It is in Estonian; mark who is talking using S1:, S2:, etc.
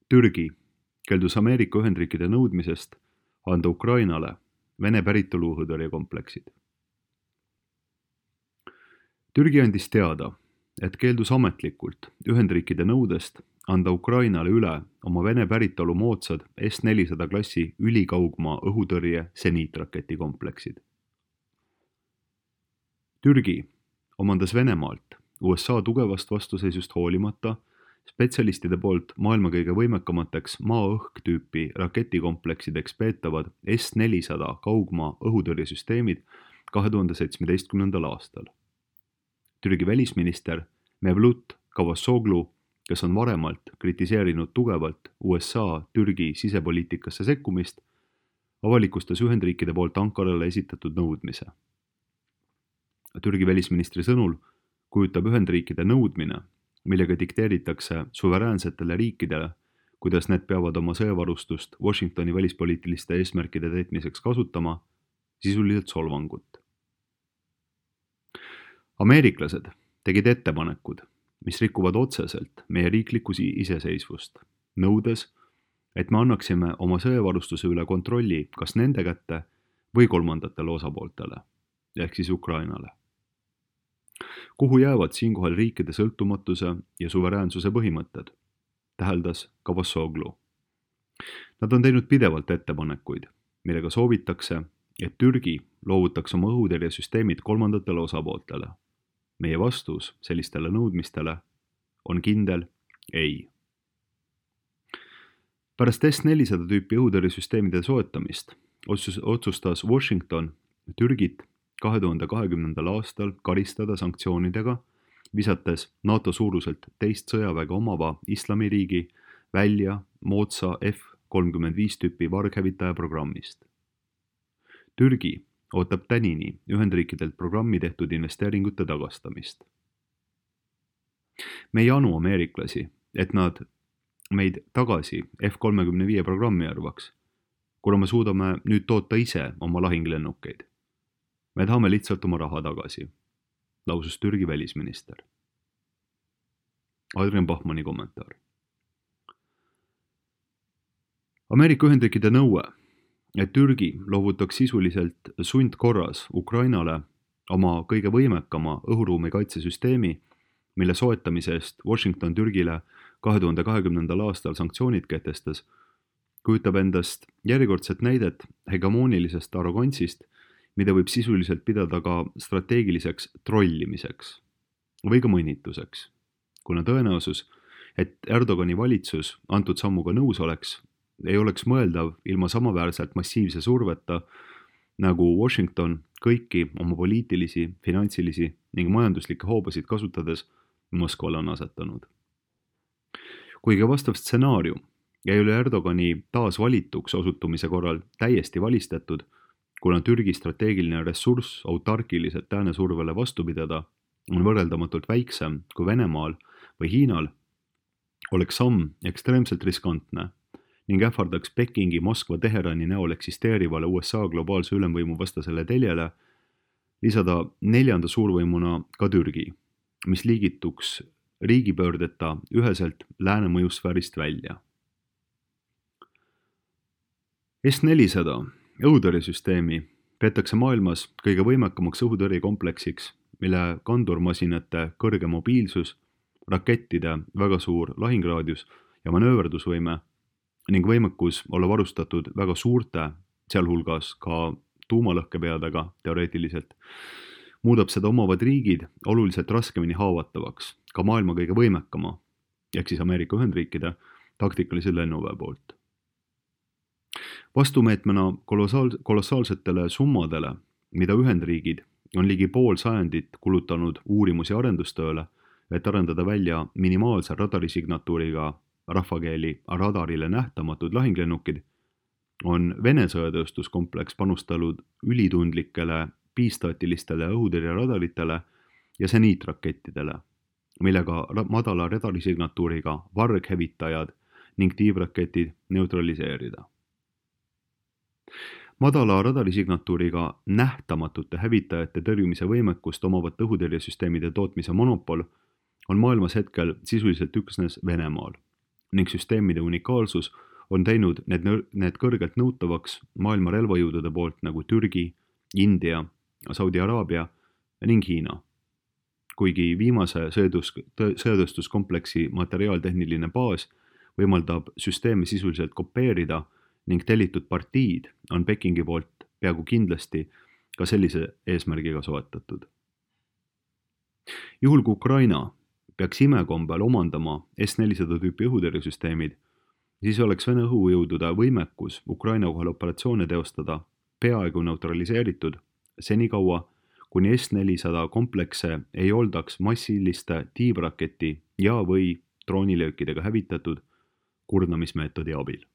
S1: Türgi keeldus Ameerika Ühendriikide nõudmisest anda Ukrainale Vene päritolu õhutõrjekompleksid. Türgi andis teada, et keeldus ametlikult Ühendriikide nõudest anda Ukrainale üle oma Vene päritolu moodsad S-400 klassi ülikaugmaa õhutõrje seniitraketikompleksid. Türgi omandas Venemaalt USA tugevast vastuseisust hoolimata spetsialistide poolt maailma kõige võimekamateks maa-õhk tüüpi raketikompleksideks peetavad S-400 kaugmaa õhutõrjesüsteemid 2017. aastal. Türgi välisminister Mevlut Cavusoglu, kes on varemalt kritiseerinud tugevalt USA-Türgi sisepoliitikasse sekkumist, avalikustas Ühendriikide poolt Ankarale esitatud nõudmise. Türgi välisministri sõnul kujutab Ühendriikide nõudmine, millega dikteeritakse suveräänsetele riikidele, kuidas need peavad oma sõjavarustust Washingtoni välispoliitiliste eesmärkide täitmiseks kasutama, sisuliselt solvangut. Ameeriklased tegid ettepanekud, mis rikuvad otseselt meie riiklikku iseseisvust, nõudes, et me annaksime oma sõjavarustuse üle kontrolli kas nende kätte või kolmandatele osapooltele, ehk siis Ukrainale. Kuhu jäävad siinkohal riikide sõltumatuse ja suveräänsuse põhimõtted, täheldas Cavusoglu. Nad on teinud pidevalt ettepanekuid, millega soovitakse, et Türgi loovutaks oma õhutõrjesüsteemid kolmandatele osapooltele. Meie vastus sellistele nõudmistele on kindel ei. Pärast S-400 tüüpi õhutõrjesüsteemide soetamist otsustas Washington Türgit 2020. aastal karistada sanktsioonidega, visates NATO suuruselt teist sõjaväge omava islamiriigi välja moodsa F-35 tüüpi varghävitaja programmist. Türgi ootab tänini Ühendriikidelt programmi tehtud investeeringute tagastamist. Me ei anu ameeriklasi, et nad meid tagasi F-35 programmi arvaks, kuna me suudame nüüd toota ise oma lahinglennukeid. Me tahame lihtsalt oma raha tagasi, lausus Türgi välisminister. Adrian Bachmanni kommentaar. Ameerika Ühendriikide nõue, et Türgi loovutaks sisuliselt sundkorras Ukrainale oma kõige võimekama õhuruumi kaitsesüsteemi, mille soetamise eest Washington Türgile 2020. aastal sanktsioonid kehtestas, kujutab endast järjekordset näidet hegemoonilisest arrogantsist, mida võib sisuliselt pidada ka strateegiliseks trollimiseks või ka mõnituseks, kuna tõenäosus, et Erdogani valitsus antud sammuga nõus oleks, ei oleks mõeldav ilma samaväärselt massiivse surveta, nagu Washington kõiki oma poliitilisi, finantsilisi ning majanduslikke hoobasid kasutades Moskvale on asetanud. Kuigi vastav stsenaarium ei ole Erdogani taas valituks osutumise korral täiesti valistatud, kuna Türgi strateegiline ressurss autarkiliselt lääne survele vastu pidada on võrreldamatult väiksem kui Venemaal või Hiinal, oleks samm ekstreemselt riskantne ning ähvardaks Pekingi, Moskva, Teherani näol eksisteerivale USA globaalse ülemvõimu vastasele teljele lisada neljanda suurvõimuna ka Türgi, mis liigituks riigipöördeta üheselt lääne mõjusfäärist välja. S-400 õhutõrjesüsteemi peetakse maailmas kõige võimekamaks õhutõrjekompleksiks, mille kandurmasinate kõrge mobiilsus, rakettide väga suur lahingraadius ja manööverdusvõime ning võimekus olla varustatud väga suurte, sealhulgas ka tuumalõhkepeadega teoreetiliselt, muudab seda omavad riigid oluliselt raskemini haavatavaks ka maailma kõige võimekama, ehk siis Ameerika Ühendriikide taktikalise lennuväe poolt. Vastumeetmena kolossaalsetele summadele, mida Ühendriigid on ligi pool sajandit kulutanud uurimus- ja arendustööle, et arendada välja minimaalse radarisignatuuriga rahvakeeli radarile nähtamatud lahinglennukid, on Vene sõjatööstuskompleks panustanud ülitundlikele bistaatilistele õhutõrjeradaritele ja seniitrakettidele, millega madala radarisignatuuriga varghävitajad ning tiivraketid neutraliseerida. Madala radarisignatuuriga nähtamatute hävitajate tõrjumise võimekust omavate õhutõrjesüsteemide tootmise monopol on maailmas hetkel sisuliselt üksnes Venemaal, ning süsteemide unikaalsus on teinud need kõrgelt nõutavaks maailma relvajõudude poolt nagu Türgi, India, Saudi Araabia ning Hiina. Kuigi viimase sõjatööstuskompleksi materiaaltehniline baas võimaldab süsteemi sisuliselt kopeerida ning tellitud partiid on Pekingi poolt peaaegu kindlasti ka sellise eesmärgiga soetatud. Juhul kui Ukraina peaks imekombel omandama S-400 tüüpi õhutõrjesüsteemid, siis oleks Vene õhujõudude võimekus Ukraina kohal operatsioone teostada peaaegu neutraliseeritud senikaua, kuni S-400 komplekse ei oldaks massiliste tiibraketi ja või droonilöökidega hävitatud kurnamismeetodi abil.